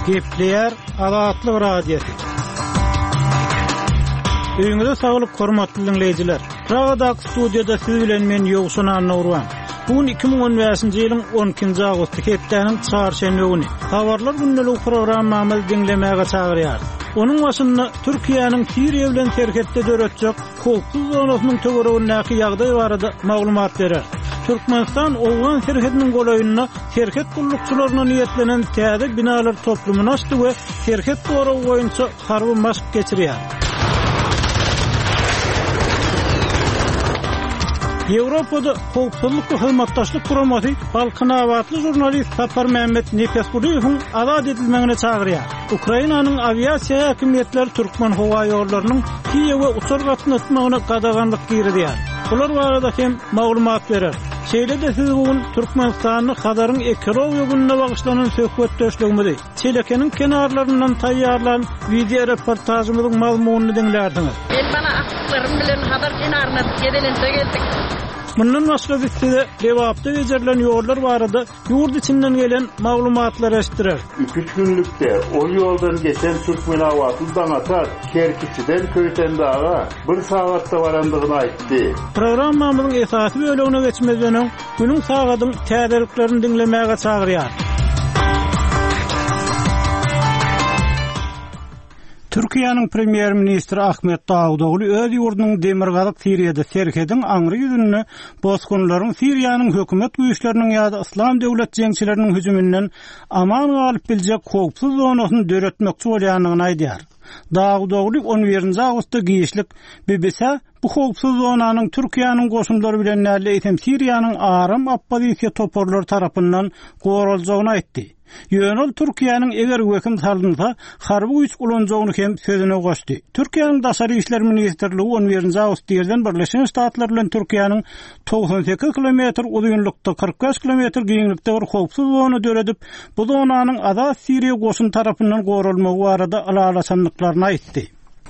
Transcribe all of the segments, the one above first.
Gepleýär Azatlyk Radiosy. Öýüňize saglyk hormatly diňleýjiler. Pragadaky studiýada siz bilen men Ýowşan Annagurban. Bu gün 2015-nji ýylyň 12-nji awgusty hepdäniň çarşenbe güni. Habarlar gündeligi programmamyzy diňlemäge çagyrýarys. Onuň başynda Türkiýäniň Siriýa bilen serhetde döretjek howpsuz zonasynyň töweregindäki ýagdaý barada maglumat berer. Türkmenistan owgan serhediniň golaýynda serhet gullukçylaryna niýetlenen täze binalar toplumyny açdy we serhet goragy boýunça harby maşk geçirýär. Ýewropada Howpsuzlyk we Hyzmatdaşlyk Guramasy balkanabatly žurnalist Saparmämmet Nepesgulyýewiň azat edilmegine çagyrýar. Ukrainanyň awiasiýa häkimiýetleri Türkmenhowaýollarynyň Kiýewe uçar gatnatmagyna gadaganlyk girizýär. Bular barada hem maglumat bereris. Şeýle-de siz bu gün Türkmenistanda Hazaryň ekologiýa gününe bagyşlanan söhbetdeşligimizi, Çelekeniň kenarlaryndan taýýarlan wideoreportažymyzyň mazmunyny diňlärsiňiz. Men bala agtyklarym bilen Hazar kenaryna gezelenje geldik. Mundan başga biz size Lebapda bejerilen ýollar barada ýurt içinden gelen maglumatlary eşitdireris. Iki-üç günlükde ol ýoldan geçen türkmenabatly Daňatar Kerkiçiden Köýtendaga bir sagatda barandygyny aýtdy. Programmamyzyň esasy bölegine geçmezden öň, günüň sagadyň täzeliklerini diňlemäge çagyrýarys. Türkiýäniň premýer-ministri Ahmet Dawutogly öz ýurdunyň demirgazyk Siriýada serhediň aňry ýüzünde bosgunlaryň Siriýanyň hökümet güýçleriniň ýa-da Yslam döwlet jeňçileriniň hüjüminden aman galyp biljek howpsuz zonasyny döretmekçi bolýandygyny aýdýar. Dawutogly on birinji awgustda giçlik BBC-ä bu howpsuz zonanyň Türkiýäniň goşunlary bilen däl-de, eýsem Siriýanyň aram oppozisiýa toparlary tarapyndan goraljagyny aýtdy. Ýöne ol Türkiýäniň eger wehim salynsa, harby güýç ulanjagyny hem sözüne goşdy. Türkiýäniň Daşary işler ministrligi on birinji awgust irden Birleşen Ştatlar bilen Türkiýäniň 98 kilometr uzynlykda, 45 kilometr giňlikde bir howpsuz zona döredip, bu zonanyň Azat Siriýa goşuny tarapyndan goralmagy barada ylalaşandyklaryny aýtdy.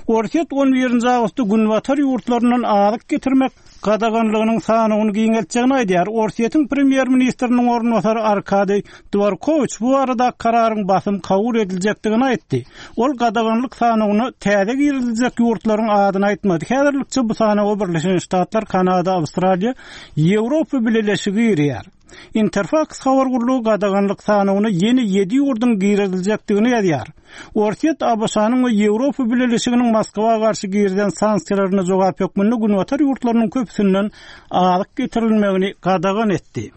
Orsýet on birinji awgustda günbatar ýurtlaryndan azyk getirmek gadaganlygynyň sanawyny giňeltjegini aýdýar. Orsýetiň premýer-ministriniň orunbasary Arkadiý Dworkowiç bu baradaky kararyň basym kabul ediljekdigini aýtdy. Ol gadaganlyk sanawyna täze giriziljek ýurtlaryň adyny aýtmady. Häzirlikçe bu sanawa Birleşen Ştatlar, Kanada, Awstraliýa, Ýewropa Bileleşigi girýär. Interfaks habar gullugy gadaganlyk sanawyna ýene ýedi ýurduň giriziljekdigini ýazýar. Orsýet ABŞ-nyň we Ýewropa Bileleşiginiň Moskwa garşy girizen sanksiýalaryna jogap hökmünde günbatar ýurtlarynyň köpüsinden azyk getirilmegini gadagan etdi.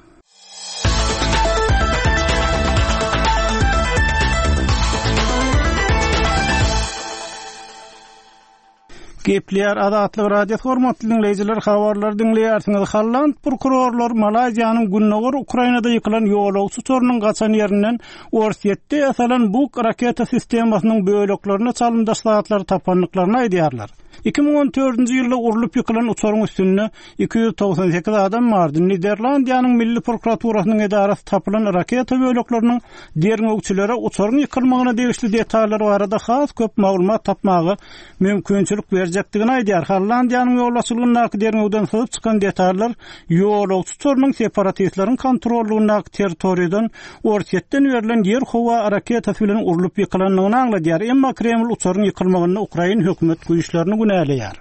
Gepleýär Azatlyk Radiosy hormatly diňleýjiler habarlary diňleýärsiňiz. Holland prokurorlary Malaýziýanyň gündogar Ukrainada ýykylan ýolagçy uçarynyň gaçan ýerinden Orsýetde ýasalan Buk raketa sistemasynyň böleklerine çalymdaş zatlary tapandyklaryny aýdýarlar. 2014-nji ýylda urlup ýykylan uçaryň üstünde 298 adam bardy. Niderlandiýanyň Milli prokuraturasynyň edarasy tapylan raketa bölekleriniň derňewçilere uçaryň ýykylmagyna degişli detallar barada has köp maglumat tapmaga mümkinçilik berjekdigini aýdýar. Hollandiýanyň ýolbaşçylygyndaky derňewden syzyp çykan detallar ýolagçy uçarynyň separatistleriň kontrollygyndaky territoriýadan Orsýetden berlen ýer-howa raketasy bilen urlup ýykylandygyny aňladýar. Emma Kreml uçaryň ýykylmagynda ukrain hökümet güýçlerini günäleýär.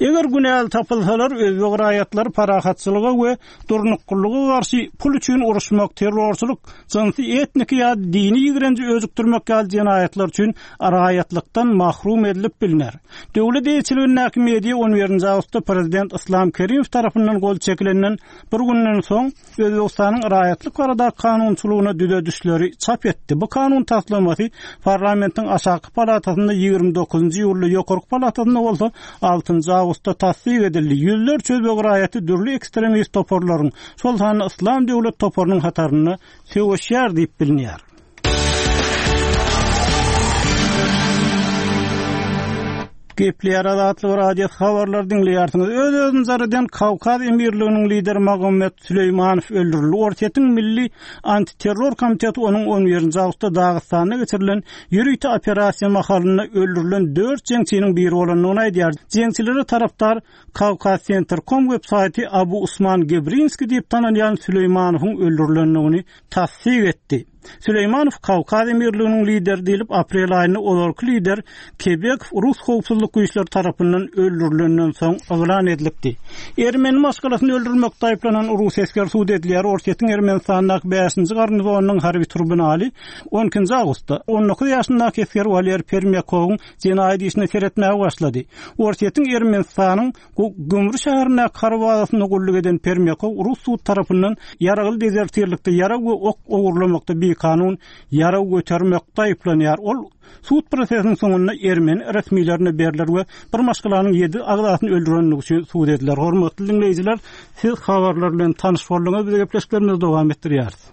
Eger günäli tapylsalar, özbek raýatlary parahatçylyga we durnuklylyga garşy pul üçin uruşmak, terrorçylyk, jynsy, etniki ýa dini ýigrenji öjükdirmek ýaly jenaýatlar üçin raýatlykdan mahrum edilip bilner. Döwlet eýeçiligindäki media on birinji awgustda prezident Yslam Kerimow tarapyndan gol çekilenden bir günden soň, Özbegistanyň raýatlyk baradaky kanunçylygyna düzedişleri çap etdi. Bu kanun taslamasy parlamentiň aşaky palatasynda 29-njy iýulda, ýokarky palatasynda bolsa altynjy awgustda tassyk edildi. Ýüzlerçe özbek raýaty dürli ekstremist toparlaryň, şol sanda Yslam döwlet toparynyň hatarynda söweşýär diýip bilinýär. Gepleýär Azatlyk Radiosy habarlary diňleýärsiňiz. Öz-özüni jar eden Kawkaz emirliginiň lideri Magomed Süleýmanow öldürildi. Orsýetiň Milli antiterror komiteti onuň on birinji awgustda Dagystanda geçirilen ýörite operasiýa mahalynda öldürilen dört jeňçiniň biri bolandygyny aýdýar. Jeňçilere tarapdar Kawkazsentrkom web saýty Abu Usman Gebrinskiý diýip tanalýan Süleýmanowyň öldürilendigini tassyk etdi. Süleýmanow Kawkaz emirliginiň lideri diýlip, aprel aýynda ozalky lider Kebekow rus howpsuzlyk güýçleri tarapyndan öldürilenden soň yglan edilipdi. Ermeni maşgalasyny öldürmekde aýyplanan rus esgeri sud edilýär Orsýetiň Ermenistandaky bäşinji garnizonynyň harby tribunali on ikinji awgustda 19 ýaşyndaky esger Waler Permýakowyň jenaýat işine seretmäge başlady. Orsýetiň Ermenistanyň Gümri şäherindäki harby bazasynda gulluk eden Permýakow rus sud tarapyndan ýaragly dezertirlikde ýarag we ok ogurlamakda bikanun ýarag götermekde aýyplanýar. Ol sud prosesiniň soňunda ermeni resmilerine berler we bir maşgalanyň ýedi agzasyny öldürenligi üçin sud ediler. Hormatly diňleýjiler, siz habarlar bilen tanyş bolduňyz, biz gepleşiklerimizi dowam etdirýäris.